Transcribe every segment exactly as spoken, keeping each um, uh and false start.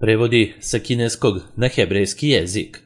Prevodi sa kineskog na hebrejski jezik.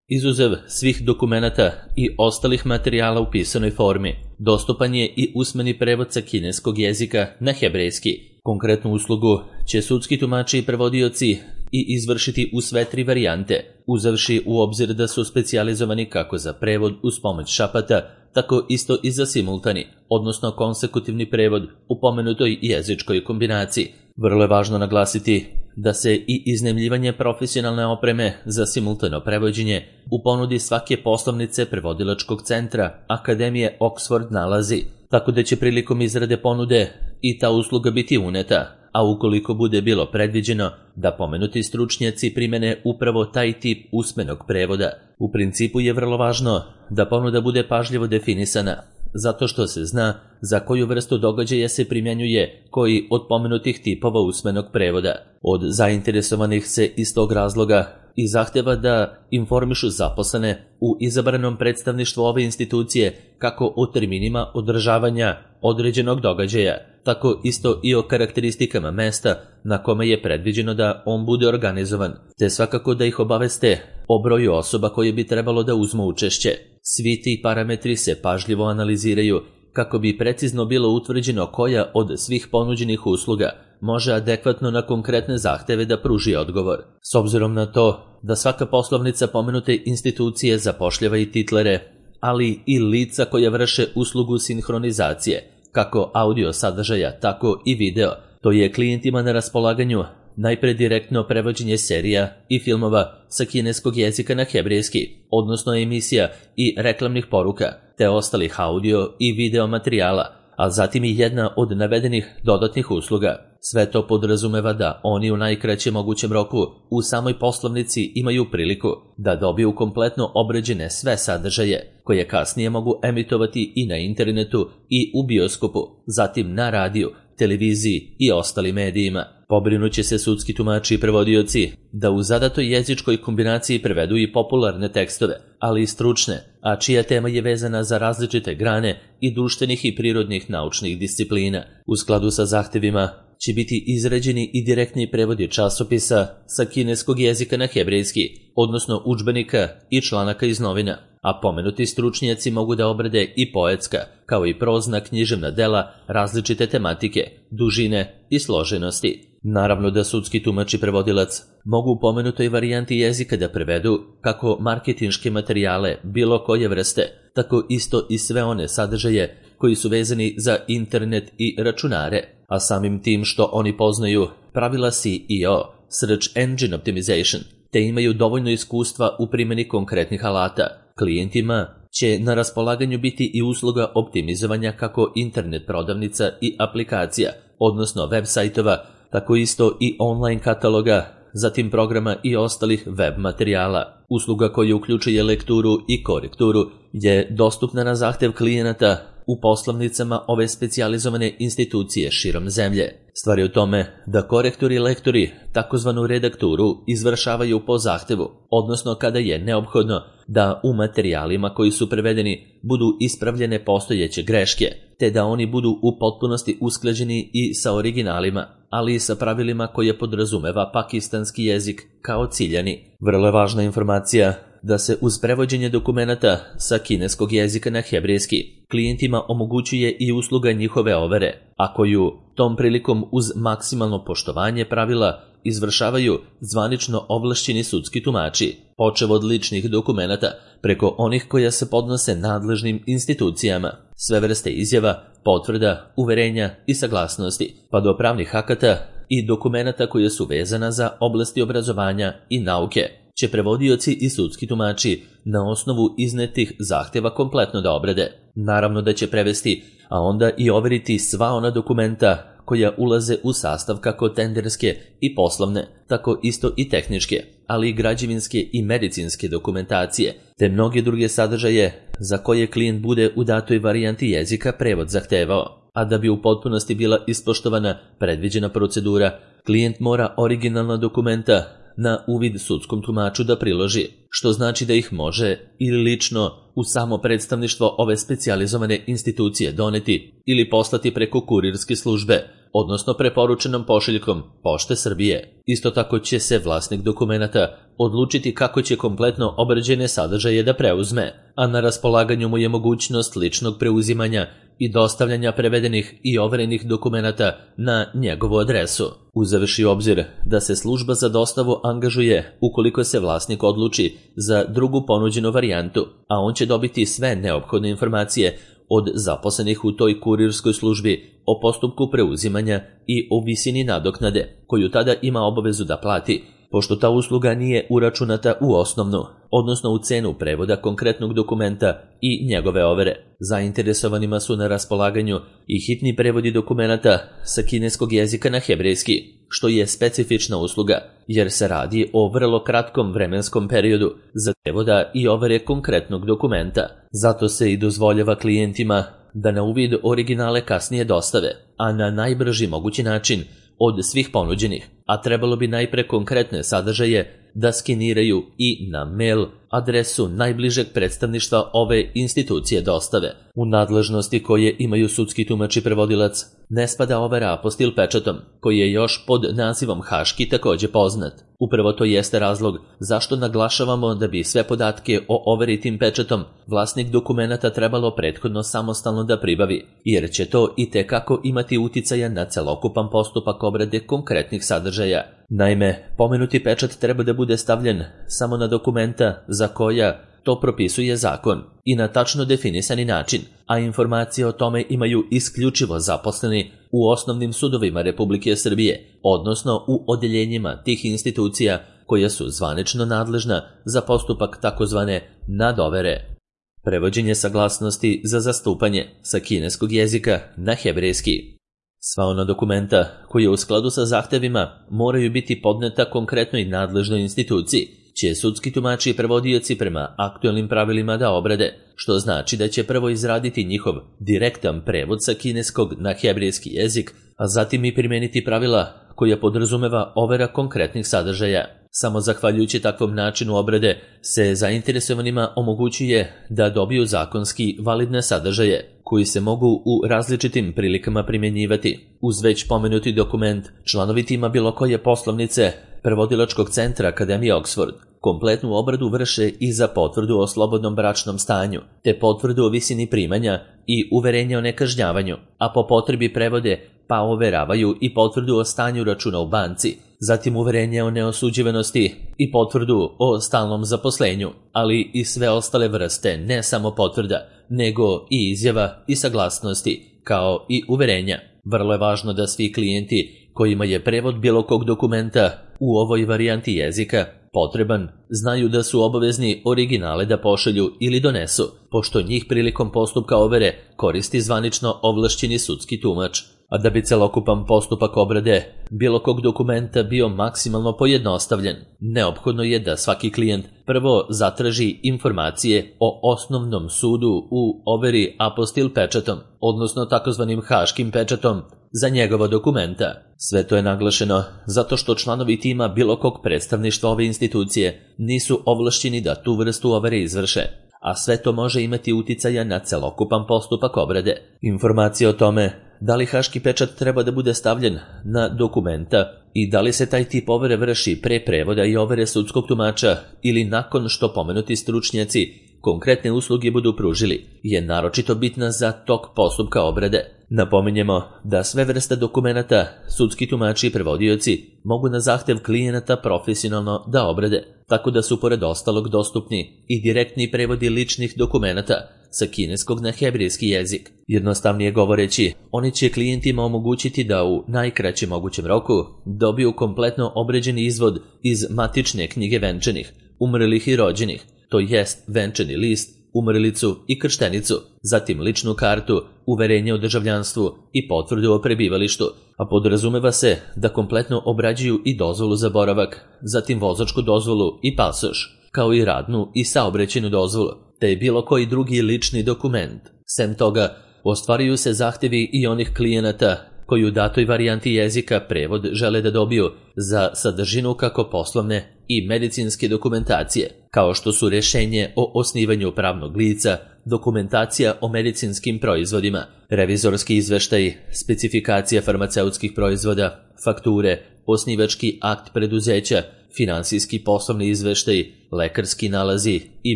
Izuzev svih dokumenata i ostalih materijala u pisanoj formi, dostupan je i usmeni prevod sa kineskog jezika na hebrejski. Konkretnu uslugu će sudski tumači i prevodioci i izvršiti u sve tri varijante, uzevši u obzir da su specijalizovani kako za prevod uz pomoć šapata, tako isto i za simultani, odnosno konsekutivni prevod u pomenutoj jezičkoj kombinaciji. Vrlo je važno naglasiti da se i iznajmljivanje profesionalne opreme za simultano prevođenje u ponudi svake poslovnice prevodilačkog centra Akademije Oxford nalazi, tako da će prilikom izrade ponude i ta usluga biti uneta, a ukoliko bude bilo predviđeno da pomenuti stručnjaci primene upravo taj tip usmenog prevoda. U principu je vrlo važno da ponuda bude pažljivo definisana, zato što se zna za koju vrstu događaja se primjenjuje koji od pomenutih tipova usmenog prevoda. Od zainteresovanih se iz tog razloga i zahteva da informišu zaposlene u izabranom predstavništvu ove institucije kako o terminima održavanja određenog događaja, tako isto i o karakteristikama mesta na kome je predviđeno da on bude organizovan, te svakako da ih obaveste o broju osoba koje bi trebalo da uzmu učešće. Svi ti parametri se pažljivo analiziraju kako bi precizno bilo utvrđeno koja od svih ponuđenih usluga može adekvatno na konkretne zahteve da pruži odgovor. S obzirom na to da svaka poslovnica pomenute institucije zapošljava i titlere, ali i lica koja vrše uslugu sinhronizacije, kako audio sadržaja, tako i video, to je klijentima na raspolaganju najpre direktno prevođenje serija i filmova sa kineskog jezika na hebrejski, odnosno emisija i reklamnih poruka, te ostalih audio i video materijala, a zatim i jedna od navedenih dodatnih usluga. Sve to podrazumeva da oni u najkraćem mogućem roku u samoj poslovnici imaju priliku da dobiju kompletno obrađene sve sadržaje, koje kasnije mogu emitovati i na internetu i u bioskopu, zatim na radiju, televiziji i ostalim medijima. Pobrinuće se sudski tumači i prevodioci da u zadatoj jezičkoj kombinaciji prevedu i popularne tekstove, ali i stručne, a čija tema je vezana za različite grane i društvenih i prirodnih naučnih disciplina. U skladu sa zahtevima će biti izrađeni i direktni prevodi časopisa sa kineskog jezika na hebrejski, odnosno udžbenika i članaka iz novina, a pomenuti stručnjaci mogu da obrade i poetska, kao i prozna književna dela različite tematike, dužine i složenosti. Naravno da sudski tumač i prevodilac mogu u pomenutoj varijanti jezika da prevedu kako marketinške materijale bilo koje vrste, tako isto i sve one sadržaje koji su vezani za internet i računare, a samim tim što oni poznaju pravila S E O, Search Engine Optimization, te imaju dovoljno iskustva u primjeni konkretnih alata. Klijentima će na raspolaganju biti i usluga optimizovanja kako internet prodavnica i aplikacija, odnosno web sajtova, tako isto i online kataloga, zatim programa i ostalih web materijala. Usluga koja uključuje lekturu i korekturu je dostupna na zahtev klijenata u poslovnicama ove specijalizovane institucije širom zemlje. Stvar je u tome da korektori i lektori takozvanu redakturu izvršavaju po zahtevu, odnosno kada je neophodno da u materijalima koji su prevedeni budu ispravljene postojeće greške, te da oni budu u potpunosti usklađeni i sa originalima, ali i sa pravilima koje podrazumeva pakistanski jezik kao ciljani. Vrlo je važna informacija da se uz prevođenje dokumenata sa kineskog jezika na hebrejski klijentima omogućuje i usluga njihove overe, a koju tom prilikom uz maksimalno poštovanje pravila izvršavaju zvanično ovlašćeni sudski tumači, počev od ličnih dokumenata preko onih koja se podnose nadležnim institucijama, sve vrste izjava, potvrda, uverenja i saglasnosti, pa do pravnih akata i dokumenata koje su vezana za oblasti obrazovanja i nauke, će prevodioci i sudski tumači na osnovu iznetih zahteva kompletno da obrade. Naravno da će prevesti, a onda i overiti sva ona dokumenta koja ulaze u sastav kako tenderske i poslovne, tako isto i tehničke, ali i građevinske i medicinske dokumentacije, te mnoge druge sadržaje za koje klijent bude u datoj varijanti jezika prevod zahtevao. A da bi u potpunosti bila ispoštovana predviđena procedura, klijent mora originalna dokumenta na uvid sudskom tumaču da priloži, što znači da ih može ili lično u samo predstavništvo ove specijalizovane institucije doneti ili poslati preko kurirske službe, odnosno preporučenom pošiljkom Pošte Srbije. Isto tako će se vlasnik dokumenata odlučiti kako će kompletno obrađene sadržaje da preuzme, a na raspolaganju mu je mogućnost ličnog preuzimanja i dostavljanja prevedenih i overenih dokumenata na njegovu adresu. Uzevši u obzir da se služba za dostavu angažuje ukoliko se vlasnik odluči za drugu ponuđenu varijantu, a on će dobiti sve neophodne informacije od zaposlenih u toj kurirskoj službi o postupku preuzimanja i o visini nadoknade, koju tada ima obavezu da plati, pošto ta usluga nije uračunata u osnovnu, odnosno u cenu prevoda konkretnog dokumenta i njegove overe. Zainteresovanima su na raspolaganju i hitni prevodi dokumenata sa kineskog jezika na hebrejski, što je specifična usluga, jer se radi o vrlo kratkom vremenskom periodu za prevoda i overe konkretnog dokumenta. Zato se i dozvoljava klijentima da na uvid originale kasnije dostave, a na najbrži mogući način od svih ponuđenih, a trebalo bi najpre konkretne sadržaje da skeniraju i na mail adresu najbližeg predstavništva ove institucije dostave. U nadležnosti koje imaju sudski tumač i prevodilac ne spada overa apostil pečatom, koji je još pod nazivom haški takođe poznat. Upravo to jeste razlog zašto naglašavamo da bi sve podatke o overi tim pečatom vlasnik dokumenata trebalo prethodno samostalno da pribavi, jer će to i tekako imati uticaja na celokupan postupak obrade konkretnih sadržaja. Naime, pomenuti pečat treba da bude stavljen samo na dokumenta za koja to propisuje zakon i na tačno definisani način, a informacije o tome imaju isključivo zaposleni u osnovnim sudovima Republike Srbije, odnosno u odeljenjima tih institucija koja su zvanično nadležna za postupak takozvane nadovere. Prevođenje saglasnosti za zastupanje sa kineskog jezika na hebrejski. Sva ona dokumenta koje u skladu sa zahtevima moraju biti podneta konkretnoj nadležnoj instituciji, će sudski tumači i prevodioci prema aktuelnim pravilima da obrade, što znači da će prvo izraditi njihov direktan prevod sa kineskog na hebrejski jezik, a zatim i primeniti pravila koja podrazumeva overa konkretnih sadržaja. Samo zahvaljujući takvom načinu obrade se zainteresovanima omogućuje da dobiju zakonski validne sadržaje, koji se mogu u različitim prilikama primjenjivati. Uz već pomenuti dokument, članovi tima bilo koje poslovnice Prevodilačkog centra Akademije Oxford kompletnu obradu vrše i za potvrdu o slobodnom bračnom stanju, te potvrdu o visini primanja i uverenje o nekažnjavanju, a po potrebi prevode pa overavaju i potvrdu o stanju računa u banci, zatim uverenje o neosuđivanosti i potvrdu o stalnom zaposlenju, ali i sve ostale vrste, ne samo potvrda, nego i izjava i saglasnosti, kao i uverenja. Vrlo je važno da svi klijenti kojima je prevod bilo kog dokumenta u ovoj varijanti jezika potreban, znaju da su obavezni originale da pošalju ili donesu, pošto njih prilikom postupka overe koristi zvanično ovlašćeni sudski tumač. A da bi celokupan postupak obrade bilo kog dokumenta bio maksimalno pojednostavljen, neophodno je da svaki klijent prvo zatraži informacije o osnovnom sudu u overi apostil pečatom, odnosno takozvanim haškim pečatom, za njegova dokumenta. Sve to je naglašeno zato što članovi tima bilo kog predstavništva ove institucije nisu ovlašćeni da tu vrstu overe izvrše, a sve to može imati uticaja na celokupan postupak obrade. Informacije o tome da li haški pečat treba da bude stavljen na dokumenta i da li se taj tip overe vrši pre prevoda i overe sudskog tumača ili nakon što pomenuti stručnjaci konkretne usluge budu pružili, je naročito bitna za tok postupka obrade. Napominjemo da sve vrste dokumenata sudski tumači i prevodioci mogu na zahtev klijenata profesionalno da obrade, tako da su pored ostalog dostupni i direktni prevodi ličnih dokumenata sa kineskog na hebrejski jezik. Jednostavnije govoreći, oni će klijentima omogućiti da u najkraćem mogućem roku dobiju kompletno obrađeni izvod iz matične knjige venčanih, umrlih i rođenih, to jest venčani list, umrlicu i krštenicu, zatim ličnu kartu, uverenje o državljanstvu i potvrdu o prebivalištu, a podrazumeva se da kompletno obrađuju i dozvolu za boravak, zatim vozačku dozvolu i pasoš, kao i radnu i saobraćajnu dozvolu, te bilo koji drugi lični dokument. Sem toga, ostvaruju se zahtevi i onih klijenata koji u datoj varijanti jezika prevod žele da dobiju za sadržinu kako poslovne i medicinske dokumentacije, kao što su rješenje o osnivanju pravnog lica, dokumentacija o medicinskim proizvodima, revizorski izveštaji, specifikacija farmaceutskih proizvoda, fakture, osnivački akt preduzeća, finansijski poslovni izveštaji, lekarski nalazi i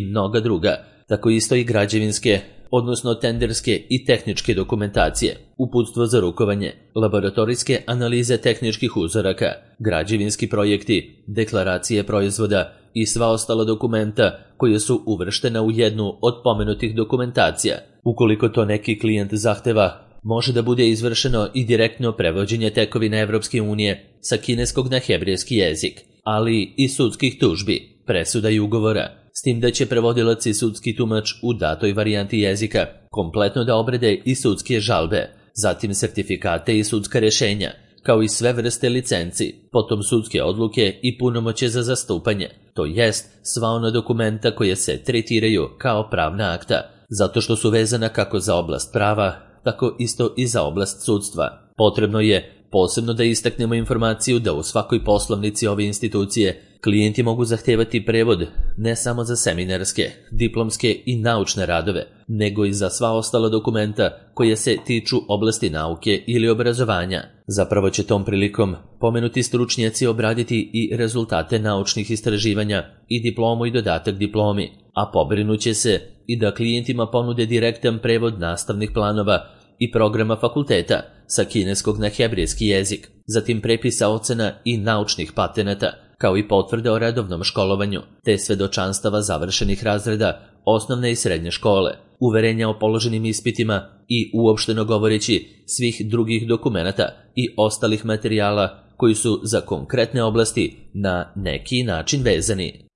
mnoga druga, tako isto i građevinske, odnosno tenderske i tehničke dokumentacije, uputstvo za rukovanje, laboratorijske analize tehničkih uzoraka, građevinski projekti, deklaracije proizvoda i sva ostala dokumenta koja su uvrštena u jednu od pomenutih dokumentacija. Ukoliko to neki klijent zahteva, može da bude izvršeno i direktno prevođenje tekovina Evropske unije sa kineskog na hebrejski jezik, ali i sudskih tužbi, presuda i ugovora, s tim da će prevodilac i sudski tumač u datoj varijanti jezika kompletno da obrade i sudske žalbe, zatim sertifikate i sudska rješenja, kao i sve vrste licenci, potom sudske odluke i punomoćje za zastupanje, to jest sva ona dokumenta koje se tretiraju kao pravna akta, zato što su vezana kako za oblast prava, tako isto i za oblast sudstva. Potrebno je posebno da istaknemo informaciju da u svakoj poslovnici ove institucije klijenti mogu zahtevati prevod ne samo za seminarske, diplomske i naučne radove, nego i za sva ostala dokumenta koje se tiču oblasti nauke ili obrazovanja. Zapravo će tom prilikom pomenuti stručnjaci obraditi i rezultate naučnih istraživanja i diplomu i dodatak diplomi, a pobrinuće se i da klijentima ponude direktan prevod nastavnih planova i programa fakulteta sa kineskog na hebrejski jezik, zatim prepisa ocena i naučnih patenata, kao i potvrde o redovnom školovanju, te svedočanstava završenih razreda osnovne i srednje škole, uverenja o položenim ispitima i uopšteno govoreći svih drugih dokumenata i ostalih materijala koji su za konkretne oblasti na neki način vezani.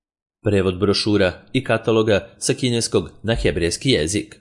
Prevod brošura i kataloga sa kineskog na hebrejski jezik.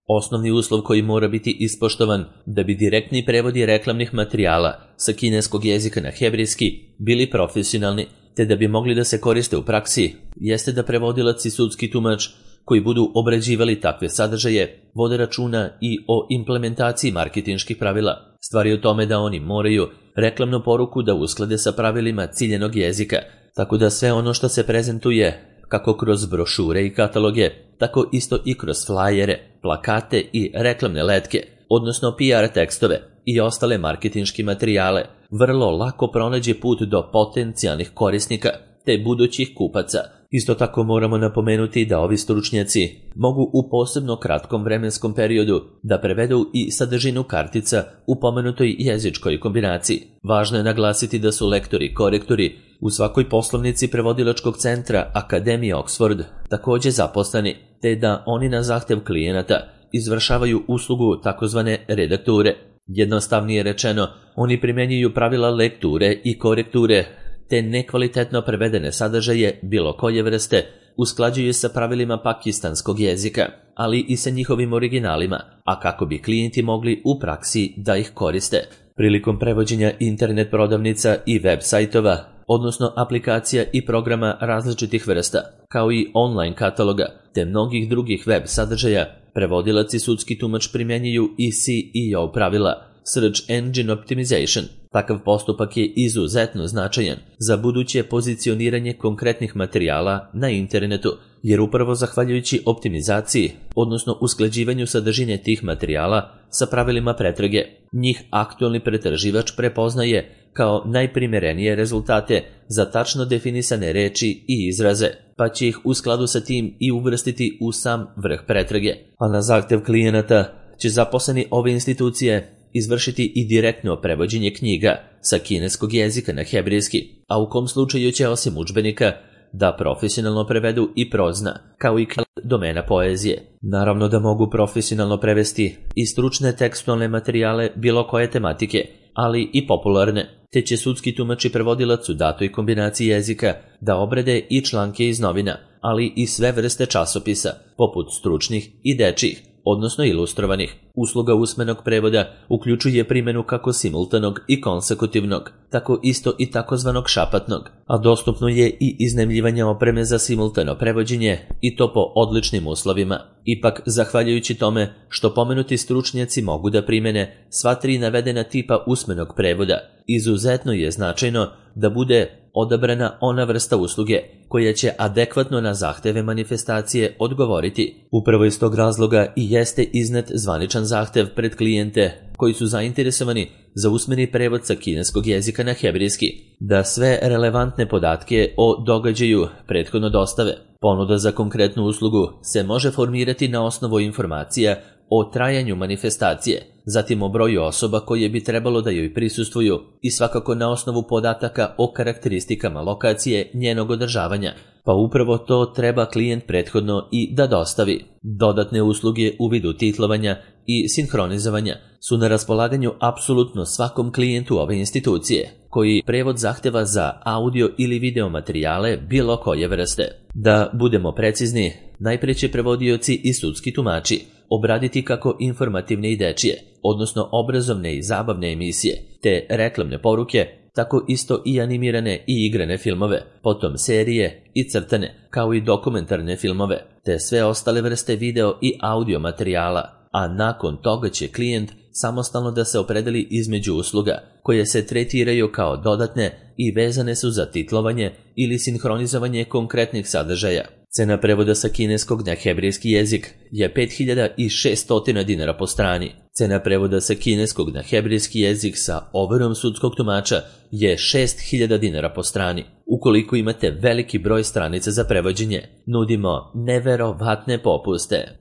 Osnovni uslov koji mora biti ispoštovan da bi direktni prevodi reklamnih materijala sa kineskog jezika na hebrejski bili profesionalni, te da bi mogli da se koriste u praksi, jeste da prevodilac i sudski tumač koji budu obrađivali takve sadržaje vode računa i o implementaciji marketinških pravila. Stvar je u tome da oni moraju reklamnu poruku da usklade sa pravilima ciljenog jezika, tako da sve ono što se prezentuje kako kroz brošure i kataloge, tako isto i kroz flajere, plakate i reklamne letke, odnosno P R tekstove i ostale marketinški materijale, vrlo lako pronađe put do potencijalnih korisnika te budućih kupaca. Isto tako moramo napomenuti da ovi stručnjaci mogu u posebno kratkom vremenskom periodu da prevedu i sadržinu kartica u pomenutoj jezičkoj kombinaciji. Važno je naglasiti da su lektori i korektori u svakoj poslovnici prevodilačkog centra Akademije Oxford također zaposleni, te da oni na zahtev klijenata izvršavaju uslugu takozvane redakture. Jednostavnije rečeno, oni primjenjuju pravila lekture i korekture, te nekvalitetno prevedene sadržaje bilo koje vrste usklađuju sa pravilima pakistanskog jezika, ali i sa njihovim originalima, a kako bi klijenti mogli u praksi da ih koriste. Prilikom prevođenja internet prodavnica i web sajtova, odnosno aplikacija i programa različitih vrsta, kao i online kataloga, te mnogih drugih web sadržaja, prevodilac i sudski tumač primjenjuju i S E O pravila, Search Engine Optimization. Takav postupak je izuzetno značajan za buduće pozicioniranje konkretnih materijala na internetu, jer upravo zahvaljujući optimizaciji, odnosno usklađivanju sadržine tih materijala sa pravilima pretrage, njih aktualni pretraživač prepoznaje kao najprimerenije rezultate za tačno definisane reči i izraze, pa će ih u skladu sa tim i uvrstiti u sam vrh pretrage. A na zahtev klijenata će zaposleni ove institucije izvršiti i direktno prevođenje knjiga sa kineskog jezika na hebrejski, a u kom slučaju će osim udžbenika da profesionalno prevedu i prozna, kao i domena poezije. Naravno da mogu profesionalno prevesti i stručne tekstualne materijale bilo koje tematike, ali i popularne, te će sudski tumač i prevodilac u datoj kombinaciji jezika da obrade i članke iz novina, ali i sve vrste časopisa, poput stručnih i dečjih, odnosno ilustrovanih, Usluga usmenog prevoda uključuje primjenu kako simultanog i konsekutivnog, tako isto i takozvanog šapatnog, a dostupno je i iznajmljivanje opreme za simultano prevođenje i to po odličnim uslovima. Ipak, zahvaljujući tome što pomenuti stručnjaci mogu da primene sva tri navedena tipa usmenog prevoda, izuzetno je značajno da bude odabrana ona vrsta usluge koja će adekvatno na zahteve manifestacije odgovoriti. Upravo iz tog razloga i jeste iznet zvaničan zahtev pred klijente koji su zainteresovani za usmeni prevod sa kineskog jezika na hebrejski, da sve relevantne podatke o događaju prethodno dostave. Ponuda za konkretnu uslugu se može formirati na osnovu informacija o trajanju manifestacije, zatim o broju osoba koje bi trebalo da joj prisustvuju i svakako na osnovu podataka o karakteristikama lokacije njenog održavanja, pa upravo to treba klijent prethodno i da dostavi. Dodatne usluge u vidu titlovanja i sinhronizovanja su na raspolaganju apsolutno svakom klijentu ove institucije, koji prevod zahteva za audio ili video materijale bilo koje vrste. Da budemo precizni, najpre će prevodioci i sudski tumači obraditi kako informativne i dečije, odnosno obrazovne i zabavne emisije, te reklamne poruke, tako isto i animirane i igrane filmove, potom serije i crtane, kao i dokumentarne filmove, te sve ostale vrste video i audio materijala, a nakon toga će klijent samostalno da se opredeli između usluga, koje se tretiraju kao dodatne i vezane su za titlovanje ili sinhronizovanje konkretnih sadržaja. Cena prevoda sa kineskog na hebrejski jezik je pet hiljada šesto dinara po strani. Cena prevoda sa kineskog na hebrejski jezik sa overom sudskog tumača je šest hiljada dinara po strani. Ukoliko imate veliki broj stranica za prevođenje, nudimo neverovatne popuste.